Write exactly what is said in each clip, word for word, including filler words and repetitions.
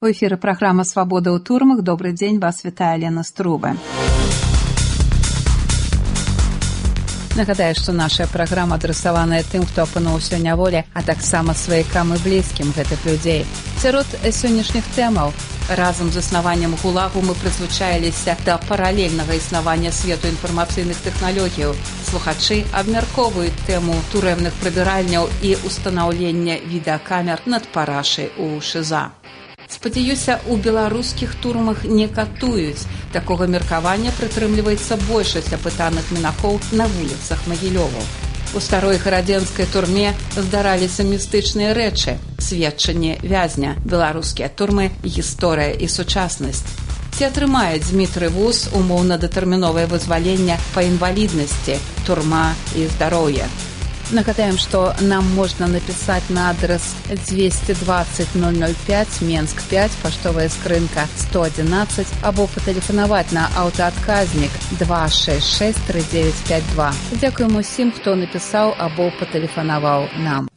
У эфіры праграма «Свабода ў турмах». Добры дзень, вас вітае Лена Струбе. Нагадаю, што наша праграма адрасаваная тым, хто апынуўся ў няволі, а таксама сваякам і блізкім гэтых людзей. Сярод сённяшніх тэмаў разам з існаваннем ГУЛАГу мы прызвычаіліся да паралельнага існавання свету інфармацыйных тэхналогіяў. Слухачы абмяркоўваюць тэму турэмных прыбіральняў і ўстанаўлення відэакамер над парашай у ШІЗА. Спадзяюся, у беларускіх турмах не катуюць. Такога меркавання прытрымліваецца большасць апытаных мінакоў на вуліцах Магілёва. У старой гарадзенскай турме здараліся містычныя рэчы, сведчанне вязня, беларускія турмы, гісторыя і сучаснасць. Ці атрымае Дзмітрый Вуз умоўна-датэрміновае вызваленне па інваліднасці, турма і здароўе. Нагадаем, што нам можна напісаць на адрес двести двадцать ноль ноль пять, Менск пять, паштовая скрынка сто одиннадцать, або патэлефанаваць на аўтаадказнік два шесть шесть три девять пять два. Дзякуем усім, хто напісаў або патэлефанаваў нам.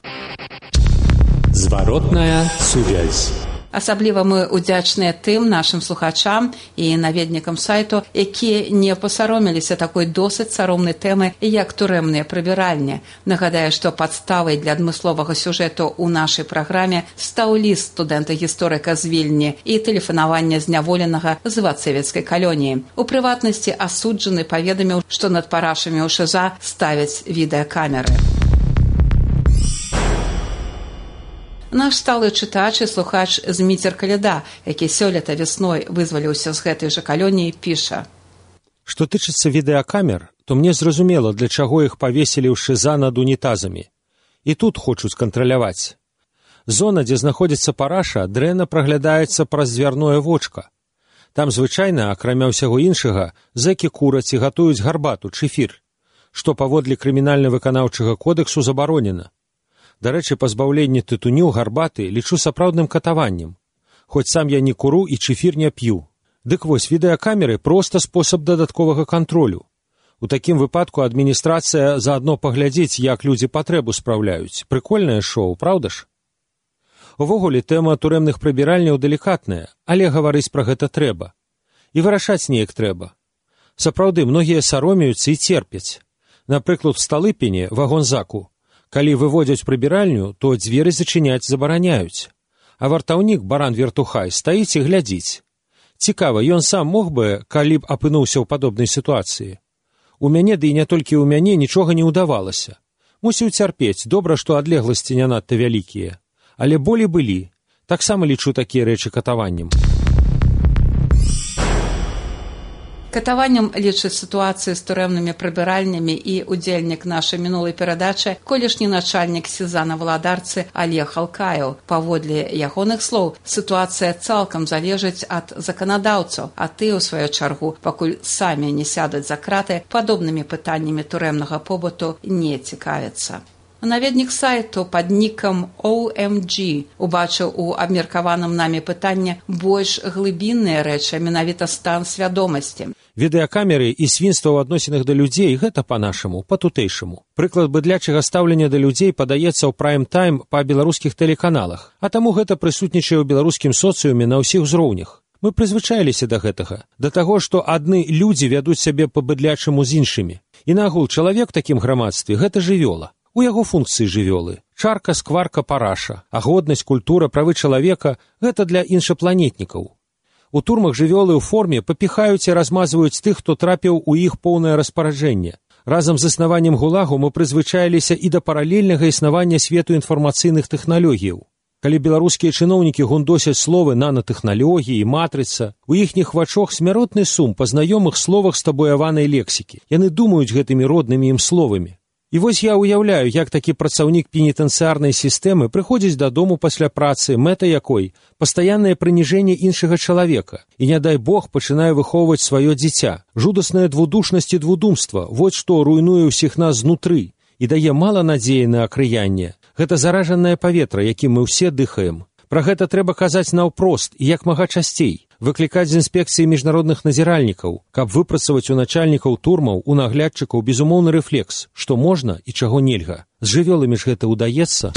Зваротная сувязь. Асабліва мы удзячныя тым нашым слухачам і наведнікам сайту, якія не пасаромеліся такой досыць саромнай тэмы, як турэмныя прыбіральні. Нагадаю, што падставай для адмысловага сюжэту ў нашай праграме стаў ліст студэнта-гісторыка з Вільні і тэлефанаванне зняволенага з вацэвіцкай калоніі. У прыватнасці асуджаны паведаміў, што над парашамі ў ШІЗА ставяць відэакамеры. Наш сталы чытач і слухач Зміцер Каляда, які сёлета вясной вызваліўся з гэтай жа калоніі, піша. Што тычыцца відэакамер, то мне зразумела, для чаго іх павесілі ў ШІЗА над унітазамі. І тут хочуць кантраляваць. Зона, дзе знаходзіцца параша, дрэнна праглядаецца праз дзвярное вочка. Там звычайна, акрамя ўсяго іншага, зэкі кураць і гатуюць гарбату, чэфір, што паводле крымінальна-выканаўчага кодэксу забаронена. Дарэчы, пазбаўленне тытуню, гарбаты лічу сапраўдным катаваннем. Хоць сам я не куру і чэфір не п'ю. Дык вось, відэакамеры проста спосаб дадатковага кантролю. У такім выпадку адміністрацыя заадно паглядзіць, як людзі патрэбу спраўляюць. Прыкольнае шоу, праўда ж? Увогуле, тэма турэмных прыбіральняў далікатная, але гаварыць пра гэта трэба. І вырашаць неяк трэба. Сапраўды, многія саромеюцца і церпяць. Напрыклад, в Сталыпіне, вагонзаку, калі выводзяць прыбіральню, то дзверы зачыняць забараняюць. А вартаўнік, баран Вертухай, стаіць і глядзіць. Цікава, ён сам мог бы, калі б апынуўся ў падобнай сітуацыі. У мяне, ды і не толькі ў мяне, нічога не ўдавалася. Мусіў цярпець, добра, што адлегласці не надта вялікія. Але болі былі. Таксама лічу такія рэчы катаваннем. Катаваннем лічыць сітуацыю з турэмнымі прыбіральнямі і удзельнік нашай мінулай перадачы колішні начальнік СІЗА на Валадарцы Олег Алкаеў. Паводле ягоных слоў, сітуацыя цалкам залежыць ад заканадаўцаў, а ты, у сваю чаргу, пакуль самі не сядуць за краты, падобнымі пытаннямі турэмнага побыту не цікавяцца. Наведнік сайту пад нікам о эм джі убачыў у абмеркаваным намі пытання больш глыбінныя рэчы, менавіта стан свядомасці. Відэакамеры і свінства ў адносінах да людзей – гэта па-нашаму, па-тутэйшаму. Прыклад быдлячага стаўлення да людзей падаецца ў прайм-тайм па беларускіх тэлеканалах, а таму гэта прысутнічае ў беларускім соцыуме на ўсіх узроўнях. Мы прызвычаіліся да гэтага, да таго, што адны людзі вядуць сябе па-быдлячаму з іншымі. І нагул, чалавек у такім грамадстве – гэта жывёла. У яго функцыі жывёлы. Чарка, скварка, параша. А годнасць, культура, правы чалавека – гэта для іншапланетнікаў. У турмах жывёлы ў форме папіхаюць і размазваюць тых, хто трапіў у іх поўнае распараджэнне. Разам з існаваннем ГУЛАГу мы прызвычаіліся і да паралельнага існавання свету інфармацыйных тэхналогіяў. Калі беларускія чыноўнікі гундосяць словы нанатэхналогіі, матрыца, у іхніх вачах смяротны сум па знаёмых словах стабуяванай лексікі. Яны думаюць гэтымі роднымі ім словамі. І вось я ўяўляю, як такі працаўнік пенітэнцыярнай сістэмы прыходзіць дадому пасля працы, мэта якой – пастаяннае прыніжэнне іншага чалавека. І, не дай Бог, пачынае выхоўваць сваё дзіця. Жудасная двудушнасць і двудумства – вот што руйнуе ўсіх нас знутры і дае мала надзеі на акрыянне. Гэта заражанае паветра, якім мы ўсе дыхаем. Пра гэта трэба казаць наўпрост і як мага часцей. Выклікаць з інспекцыі міжнародных назіральнікаў, каб выпрацаваць у начальнікаў турмаў, у наглядчыкаў безумоўны рэфлекс, што можна і чаго нельга. З жывёламі ж гэта ўдаецца.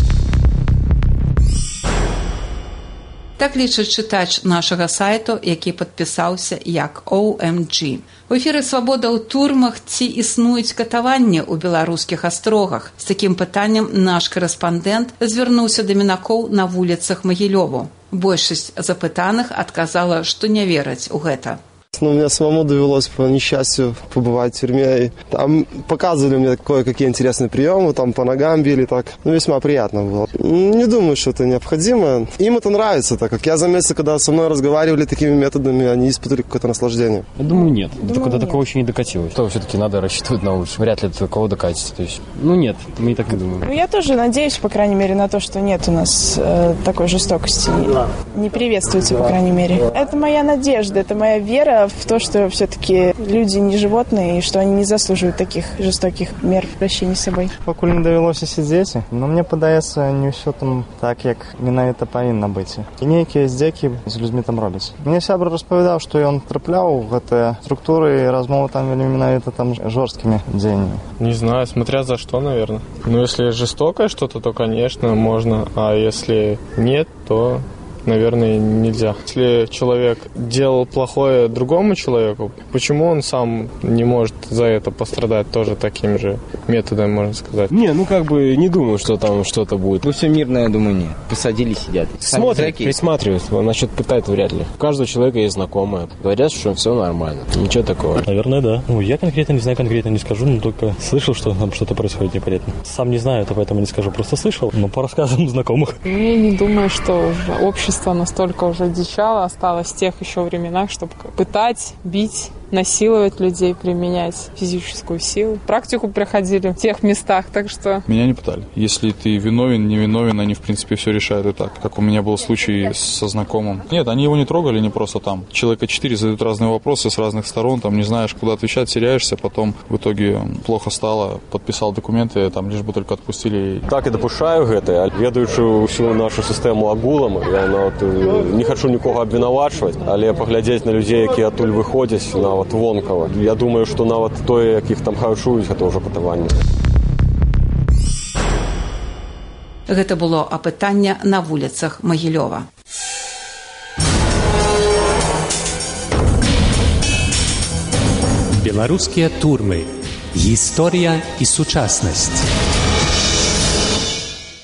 Так лічыць чытач нашага сайту, які падпісаўся як о эм джі. У эфіры «Свабода ў турмах» ці існуюць катаванні ў беларускіх астрогах. З такім пытаннем наш корэспандэнт звярнуўся да мінакоў на вуліцах Магілёву. Большасць запытаных адказала, што не вераць у гэта. Ну, мне самому довелось по несчастью побывать в тюрьме. И там показывали мне кое-какие интересные приемы, там по ногам били так. Ну, весьма приятно было. Не думаю, что это необходимо. Им это нравится, так как я заметил, когда со мной разговаривали такими методами, они испытывали какое-то наслаждение. Я думаю, нет. Думаю, Только нет. до такого еще не докатилось. То все-таки надо рассчитывать на лучшее. Вряд ли до такого докатится. То есть, ну нет, мы и так не думаем. Ну, я тоже надеюсь, по крайней мере, на то, что нет у нас э, такой жестокости. Не приветствуется, по крайней мере. Это моя надежда, это моя вера в то, что все-таки люди не животные, и что они не заслуживают таких жестоких мер в обращении с собой. Пакуль не давялося сидзець, но мне падаецца, не ўсё там так, як менавіта павінна быць. І нейкія здзекі з людзьмі там робяць. Мне сябра распавядаў, што ён трапляў у гэтыя структуры, і размовы там вельмі менавіта там жорсткімі дзеяннямі. Не знаю, смотря за что, наверное. Ну, если жестокое что-то, то, конечно, можно. А если нет, то... наверное, нельзя. Если человек делал плохое другому человеку, почему он сам не может за это пострадать тоже таким же методом, можно сказать? Не, ну как бы не думаю, что там что-то будет. Ну все мирно, я думаю, нет. Посадили, сидят. Смотрят, присматриваются, насчет пытать вряд ли. У каждого человека есть знакомые. Говорят, что все нормально. Ничего такого. Наверное, да. Ну, я конкретно не знаю, конкретно не скажу, но только слышал, что там что-то происходит непонятно. Сам не знаю, это поэтому не скажу, просто слышал, но по рассказам знакомых. Я не думаю, что общество настолько уже дичало, осталось в тех еще временах, чтобы пытать, бить, насиловать людей, применять физическую силу. Практику проходили в тех местах, так что... Меня не пытали. Если ты виновен, не виновен, они, в принципе, все решают и так. Как у меня был случай со знакомым. Нет, они его не трогали, не просто там. Человека четыре задают разные вопросы с разных сторон, там не знаешь, куда отвечать, теряешься, потом в итоге плохо стало, подписал документы, там лишь бы только отпустили. Так і допушаю гэта, ведаючы ўсю нашу сістэму агулам, я нават не хачу нікога абвінавачваць, але паглядзець на людзей, якія адтуль выходзяць, на нават вонкава. Я думаю, што нават тое, якіх там харчуюць, гэта ўжо катаванне. Гэта было апытанне на вуліцах Магілёва. Беларускія турмы. Гісторыя і сучаснасць.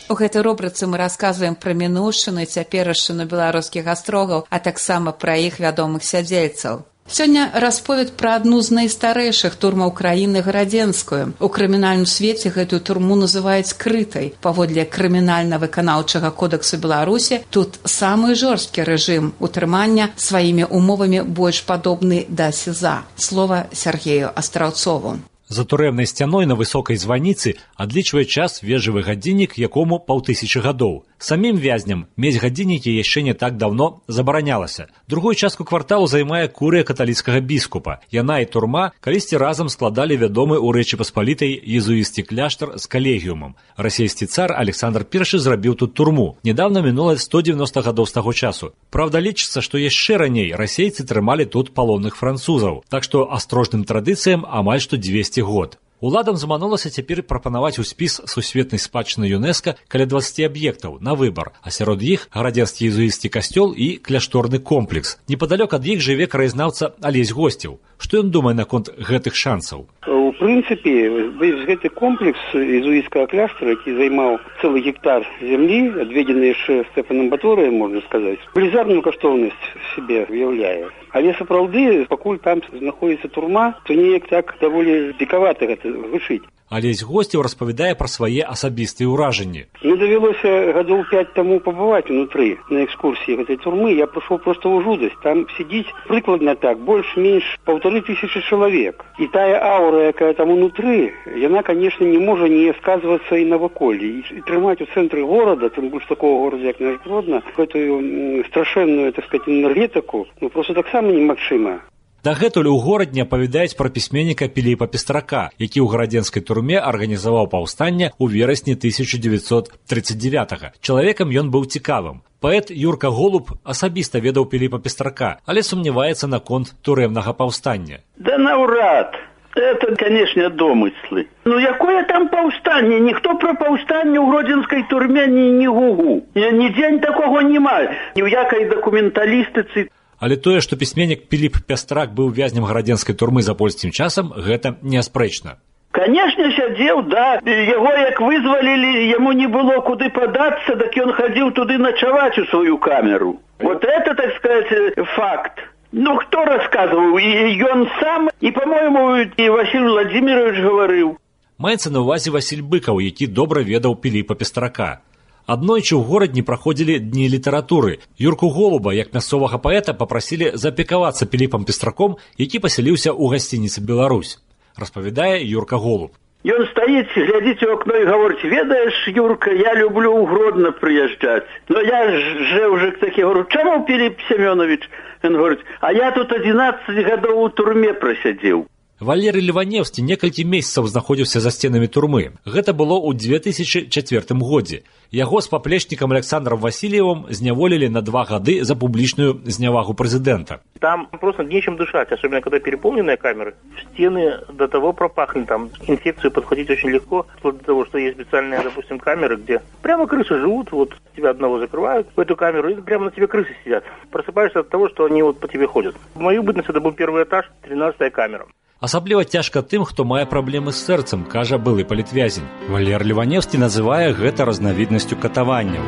У гэтай рубрыцы мы расказваем пра мінуўшчыну і цяперашчыну беларускіх астрогаў, а таксама пра іх вядомых сядзельцаў. Сёння расповед пра адну з найстарэйшых турмаў краіны Гарадзенскую. У крымінальным свеце гэтую турму называюць крытай. Паводле крымінальна-выканаўчага кодэксу Беларусі тут самы жорсткі рэжым утрымання сваімі умовамі больш падобны да СІЗА. Слова Сергею Астраўцову. За турэмнай сцяной на высокай званіцы адлічвае час вежавы гадзіннік, якому паўтысячы гадоў. Самім вязням мець гадзіннікі яшчэ не так даўно забаранялася. Другую частку кварталу займае курыя каталіцкага біскупа. Яна і турма калісьці разам складалі вядомы ў Рэчы Паспалітай езуісцкі кляштар з калегіумам. Расійскі цар Александр Першы зрабіў тут турму. Нядаўна мінула сто дзевяноста гадоў з таго часу. Праўда, лічыцца, што яшчэ раней расейцы трымалі тут палонных французаў. Так што астрожным традыцыям амаль што дзвесце год. Уладам заманулася цяпер прапанаваць у спіс сусветнай спадчыны ЮНЕСКА каля дваццаці аб'ектаў на выбар, а сярод іх гарадзенскі езуісцкі касцёл і кляшторны комплекс. Непадалёк ад іх жыве краязнаўца Алесь Госцеў. Што ён думае наконт гэтых шансаў? У прынцыпе, гэты комплекс езуіцкага кляштара, які займаў цэлы гектар зямлі, адведзены яшчэ Стэфанам Баторыем, можна сказаць, велізарную каштоўнасць сябе уяўляе. Але сапраўды, пакуль там знаходзіцца турма, то неяк так даволі дзікавата гэта гучыць. Алесь Госцеў распавядае пра свае асабістыя ўражанні. Мне давялося гадоў пяць таму пабываць унутры на экскурсіі гэтай турмы. Я прыйшоў проста ў жудасць. Там сидіць прыкладна так, больш-менш паўтары тысячы чалавек. І тая аура, якая там унутры, яна, конечно, не можа не сказвацца і на ваколлі. І трымаць у цэнтры горада, тым больш такого горада, як наш Гродно, гэтую страшэнную, так сказать, энергетыку, ну просто таксама немагчыма. Дагэтуль у горадні апавядаюць пра пісьменніка Піліпа Пестрака, які ў гарадзенскай турме арганізаваў паўстанне ў верасні тысяча дзевяцьсот трыццаць дзевятага. Чалавекам ён быў цікавым. Паэт Юрка Голуб асабіста ведаў Піліпа Пестрака, але сумняваецца наконт турэмнага паўстання. Да наўрад! Это, конечно, домыслы. Ну, якое там паўстанне? Ніхто про паўстанне ў гродзенскай турме не, не гугу. Ні дзень такого нема. Ні ў якай дакументалістыцы. Але тое, што пісьменнік Піліп Пястрак быў вязнем гарадзенскай турмы за польскім часам, гэта неаспрэчна. Конечно, сядзеў, да. Яго як вызвалілі, яму не было куды падацца, так ён хадзіў туды начаваць у сваю камеру. Вот это, так сказать, факт. Ну, хто расказваў? І ён сам, і, па-моему, і Васіль Владимирович гаварыў. Маецца на ўвазе Васіль Быкаў, які добра ведаў Піліпа Пестрака. Аднойчы ў горадні праходзілі дні літаратуры. Юрку Голуба, як мясцовага паэта, папрасілі заапекавацца Піліпам Пестраком, які пасяліўся ў гасцініцы «Беларусь». Распавядае Юрка Голуб. Ён стаіць, глядзіць у акно і гаворыць: «Ведаеш, Юрка, я люблю ў Гродно прыязджаць. Но я же уже такі говорю: чаму, Піліп Семёнович?» Ён говорить: «А я тут одиннадцать гадоў у турме просядзеў». Валерый Леваневскі некалькі месяцаў знаходзіўся за сценамі турмы. Гэта было ў две тысячи чацвёртым годзе. Яго з паплечнікам Александром Васильевым зняволілі на два гады за публічную знявагу прэзідэнта. Там просто нечем дышать, особенно когда переполненные камеры. Стены до того пропахли, там инфекцию подходить очень легко, вплоть до того, что есть специальные, допустим, камеры, где прямо крысы живут, вот тебя одного закрывают в эту камеру, и прямо на тебе крысы сидят. Просыпаешься от того, что они вот по тебе ходят. В мою бытность это был первый этаж, тринадцатая камера. Асабліва цяжка тым, хто мае праблемы з сэрцам, кажа былы палітвязень. Валер Леваневскі называе гэта разнавіднасцю катаванняў.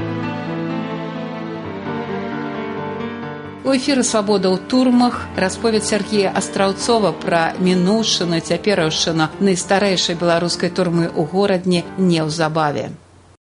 У эфіры «Свабода ў турмах» расповед Сергея Астраўцова пра мінуўшчыну і цяпераўшчыну найстарэйшай беларускай турмы ў горадні неўзабаве.